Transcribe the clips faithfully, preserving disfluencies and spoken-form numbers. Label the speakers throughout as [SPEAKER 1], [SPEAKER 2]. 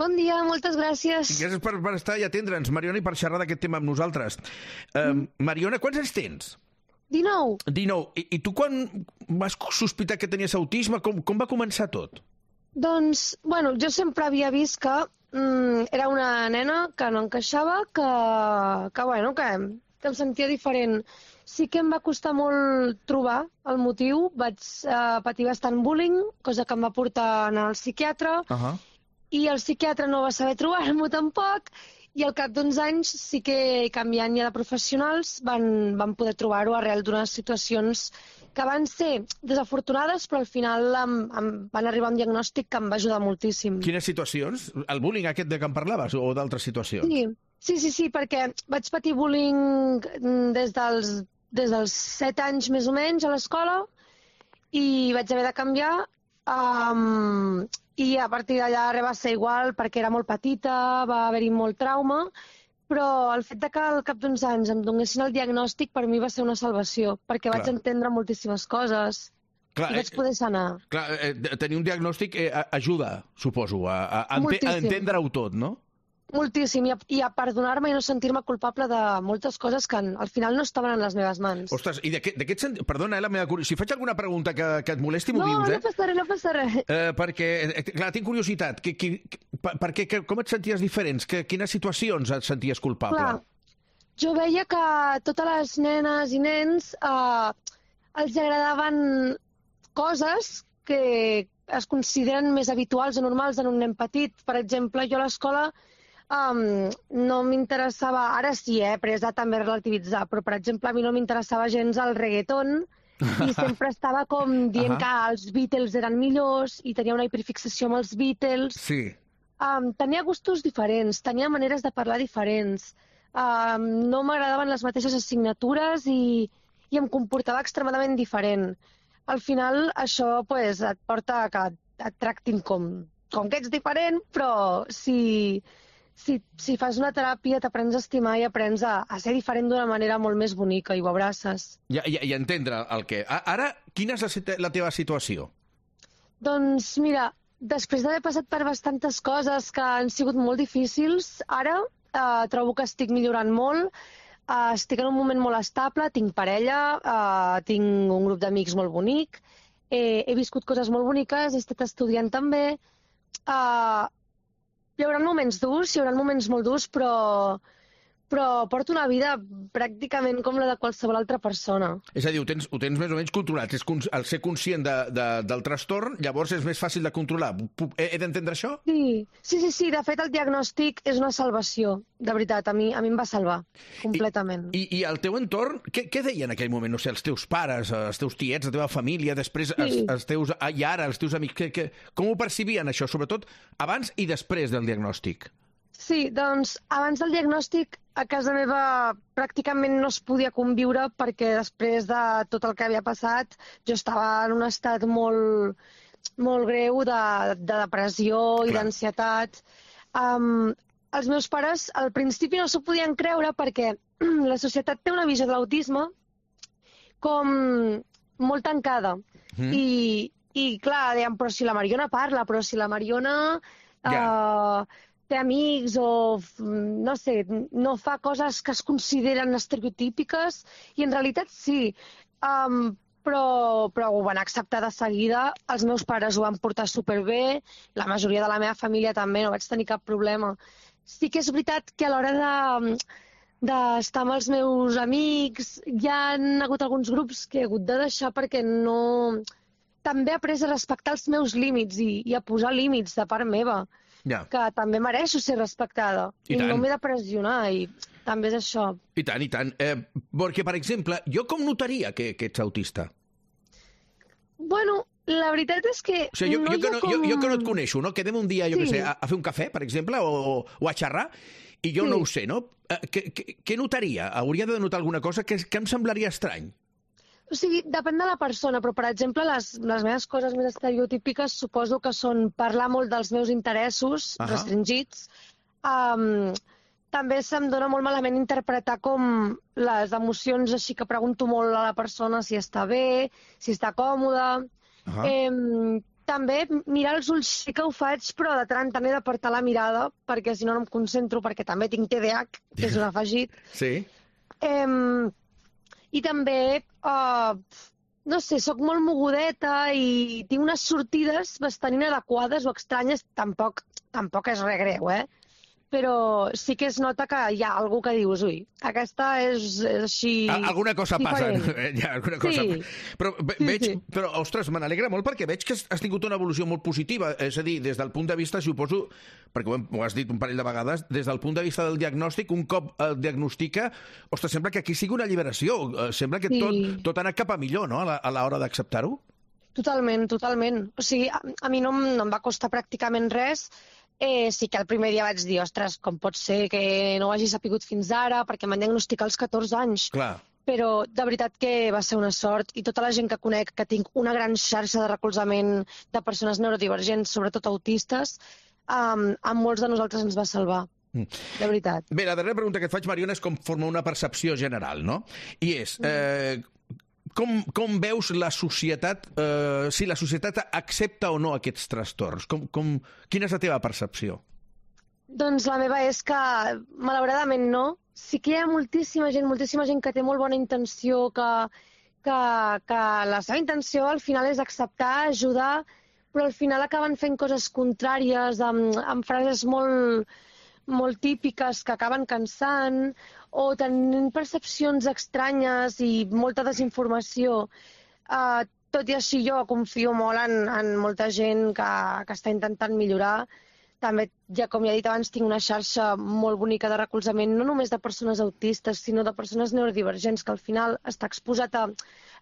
[SPEAKER 1] Bon dia, moltes gràcies.
[SPEAKER 2] Gràcies per, per estar i atendre'ns, Mariona, i per xerrar d'aquest tema amb nosaltres. Uh, mm. Mariona, quants anys tens?
[SPEAKER 1] dinou.
[SPEAKER 2] dinou. I, I tu quan vas sospitar que tenies autisme, com, com va començar tot?
[SPEAKER 1] Doncs, bueno, jo sempre havia vist que mm, era una nena que no encaixava, que, que bueno, que, que em sentia diferent. Sí que em va costar molt trobar el motiu. Vaig uh, patir bastant bullying, cosa que em va portar a anar al psiquiatre,
[SPEAKER 2] Uh -huh.
[SPEAKER 1] i el psiquiatre no va saber trobar-m'ho tampoc, i al cap d'uns anys sí que, canviant ja de professionals, van, van poder trobar-ho arrel d'unes situacions que van ser desafortunades, però al final em, em van arribar a un diagnòstic que em va ajudar moltíssim.
[SPEAKER 2] Quines situacions? El bullying aquest de què em parlaves o d'altres situacions?
[SPEAKER 1] Sí, sí, sí, sí, perquè vaig patir bullying des dels, des dels set anys més o menys a l'escola i vaig haver de canviar. Um, I a partir d'allà res va ser igual perquè era molt petita, va haver-hi molt trauma, però el fet de que al cap d'uns anys em donessin el diagnòstic per mi va ser una salvació, perquè
[SPEAKER 2] Clar.
[SPEAKER 1] vaig entendre moltíssimes coses
[SPEAKER 2] Clar,
[SPEAKER 1] i vaig poder sanar.
[SPEAKER 2] Clar, eh, tenir un diagnòstic eh, ajuda, suposo, a, a, a, ente a entendre-ho tot, no?
[SPEAKER 1] Moltíssim, i a, i a perdonar-me i no sentir-me culpable de moltes coses que al final no estaven en les meves mans.
[SPEAKER 2] Ostres, i d'aquest sentit... Perdona, eh, la meva curiositat. Si faig alguna pregunta que, que et molesti, m'ho
[SPEAKER 1] no,
[SPEAKER 2] dius, eh?
[SPEAKER 1] No, no passa res, no passa res.
[SPEAKER 2] Eh, perquè, eh, clar, tinc curiositat. Que, que, per, per què, que, com et senties diferents? Que, quines situacions et senties culpable?
[SPEAKER 1] Clar, jo veia que totes les nenes i nens eh, els agradaven coses que es consideren més habituals o normals en un nen petit. Per exemple, jo a l'escola Um, no m'interessava, ara sí, eh, però és també relativitzar, però per exemple a mi no m'interessava gens el reggaeton i sempre estava com dient uh -huh. que els Beatles eren millors i tenia una hiperfixació amb els Beatles.
[SPEAKER 2] Sí.
[SPEAKER 1] Um, tenia gustos diferents, tenia maneres de parlar diferents, um, no m'agradaven les mateixes assignatures i, i em comportava extremadament diferent. Al final això pues, et porta a que et tractin com, com que ets diferent, però si... Si, si fas una teràpia t'aprens a estimar i aprens a, a ser diferent d'una manera molt més bonica i ho abraces.
[SPEAKER 2] I, i, i entendre el què. Ara, quina és la, la teva situació?
[SPEAKER 1] Doncs mira, després d'haver passat per bastantes coses que han sigut molt difícils, ara eh, trobo que estic millorant molt, eh, estic en un moment molt estable, tinc parella, eh, tinc un grup d'amics molt bonic, eh, he viscut coses molt boniques, he estat estudiant també... Eh, Hi haurà moments durs, hi haurà moments molt durs, però, però porto una vida pràcticament com la de qualsevol altra persona.
[SPEAKER 2] És a dir, ho tens, ho tens més o menys controlat. És, el ser conscient de, de, del trastorn, llavors és més fàcil de controlar. He, he d'entendre això?
[SPEAKER 1] Sí, sí, sí, sí. De fet, el diagnòstic és una salvació. De veritat, a mi, a mi em va salvar completament.
[SPEAKER 2] I, i, i el teu entorn, què, què deien en aquell moment? No sé, els teus pares, els teus tiets, la teva família, després sí. els, els teus... I ara, els teus amics, que, que, com ho percibien això? Sobretot abans i després del diagnòstic.
[SPEAKER 1] Sí, doncs abans del diagnòstic a casa meva pràcticament no es podia conviure perquè després de tot el que havia passat jo estava en un estat molt, molt greu de, de depressió i d'ansietat. Um, els meus pares al principi no s'ho podien creure perquè la societat té una visió de l'autisme com molt tancada. Mm. I, I clar, deien, però si la Mariona parla, però si la Mariona... Yeah. Uh, té amics o, no sé, no fa coses que es consideren estereotípiques i en realitat sí, um, però, però ho van acceptar de seguida, els meus pares ho van portar superbé, la majoria de la meva família també, no vaig tenir cap problema. Sí que és veritat que a l'hora de d'estar amb els meus amics hi ha hagut alguns grups que he hagut de deixar perquè no... També he après a respectar els meus límits i, i a posar límits de part meva. Ja. Que també mereixo ser respectada i, i no m'he de pressionar i també és això.
[SPEAKER 2] I tant, i tant. Eh, perquè, per exemple, jo com notaria que, que ets autista?
[SPEAKER 1] Bueno, la veritat és que...
[SPEAKER 2] O sigui, jo,
[SPEAKER 1] no
[SPEAKER 2] jo, que no,
[SPEAKER 1] com...
[SPEAKER 2] jo, jo que no et coneixo, no? Quedem un dia, jo sí. què sé, a, a fer un cafè, per exemple, o, o a xerrar, i jo sí. no ho sé, no? Eh, què, què, què notaria? Hauria de notar alguna cosa que, que em semblaria estrany.
[SPEAKER 1] O sigui, depèn de la persona, però, per exemple, les, les meves coses més estereotípiques suposo que són parlar molt dels meus interessos uh -huh. restringits. Um, també se'm dona molt malament interpretar com les emocions, així que pregunto molt a la persona si està bé, si està còmoda. Uh -huh. eh, també mirar els ulls sí que ho faig, però de tant en tant he d'apartar la mirada, perquè si no no em concentro, perquè també tinc T D A H, que és un afegit.
[SPEAKER 2] Sí.
[SPEAKER 1] Eh, I també, eh, no sé, sóc molt mogudeta i tinc unes sortides bastant inadequades o estranyes, tampoc, tampoc és res greu, eh? Però sí que es nota que hi ha algú que dius, ui, aquesta és, és així...
[SPEAKER 2] Alguna cosa passa. Ja, alguna cosa...
[SPEAKER 1] Sí.
[SPEAKER 2] Però, ve,
[SPEAKER 1] sí,
[SPEAKER 2] veig,
[SPEAKER 1] sí.
[SPEAKER 2] però, ostres, me n'alegra molt perquè veig que has tingut una evolució molt positiva. És a dir, des del punt de vista, si ho poso, perquè ho, hem, ho has dit un parell de vegades, des del punt de vista del diagnòstic, un cop el diagnostica, ostres, sembla que aquí sigui una alliberació. Sembla que
[SPEAKER 1] Sí.
[SPEAKER 2] tot, tot ha anat cap a millor, no?, a l'hora d'acceptar-ho.
[SPEAKER 1] Totalment, totalment. O sigui, a, a mi no, em- no em va costar pràcticament res. Eh, sí que el primer dia vaig dir, ostres, com pot ser que no ho hagi sapigut fins ara, perquè m'han diagnosticat als catorze anys.
[SPEAKER 2] Clar.
[SPEAKER 1] Però de veritat que va ser una sort, i tota la gent que conec, que tinc una gran xarxa de recolzament de persones neurodivergents, sobretot autistes, um, a molts de nosaltres ens va salvar.
[SPEAKER 2] Mm.
[SPEAKER 1] De veritat.
[SPEAKER 2] Bé, la darrera pregunta que et faig, Mariona, és com forma una percepció general, no? I és, eh, com, com veus la societat, eh, si la societat accepta o no aquests trastorns? Com, com, quina és la teva percepció?
[SPEAKER 1] Doncs la meva és que, malauradament, no. Sí que hi ha moltíssima gent, moltíssima gent que té molt bona intenció, que, que, que la seva intenció al final és acceptar, ajudar, però al final acaben fent coses contràries, amb, amb frases molt, molt típiques que acaben cansant, o tenint percepcions estranyes i molta desinformació. Uh, tot i així jo confio molt en, en molta gent que, que està intentant millorar. També, ja com ja he dit abans, tinc una xarxa molt bonica de recolzament, no només de persones autistes, sinó de persones neurodivergents, que al final estar exposat a,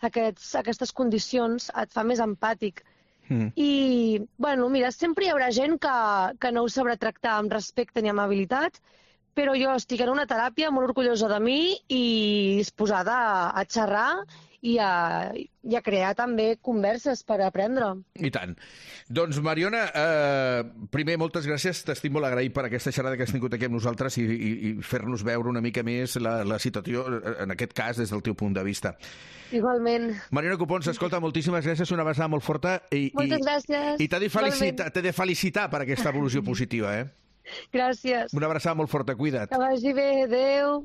[SPEAKER 1] aquests, a aquestes condicions et fa més empàtic.
[SPEAKER 2] Mm.
[SPEAKER 1] I, bueno, mira, sempre hi haurà gent que, que no ho sabrà tractar amb respecte ni amabilitat, però jo estic en una teràpia molt orgullosa de mi i disposada a, a xerrar i a, i a crear també converses per aprendre.
[SPEAKER 2] I tant. Doncs, Mariona, eh, primer, moltes gràcies. T'estic molt agraït per aquesta xerrada que has tingut aquí amb nosaltres i, i, i fer-nos veure una mica més la, la situació, en aquest cas, des del teu punt de vista.
[SPEAKER 1] Igualment.
[SPEAKER 2] Mariona Copons, escolta, moltíssimes gràcies, una abraçada molt forta. I,
[SPEAKER 1] Moltes
[SPEAKER 2] i,
[SPEAKER 1] gràcies.
[SPEAKER 2] I t'he de, felicitar, t'he de felicitar per aquesta evolució positiva, eh?
[SPEAKER 1] Gràcies.
[SPEAKER 2] Una abraçada molt forta, cuida't.
[SPEAKER 1] Que vagi bé, adeu.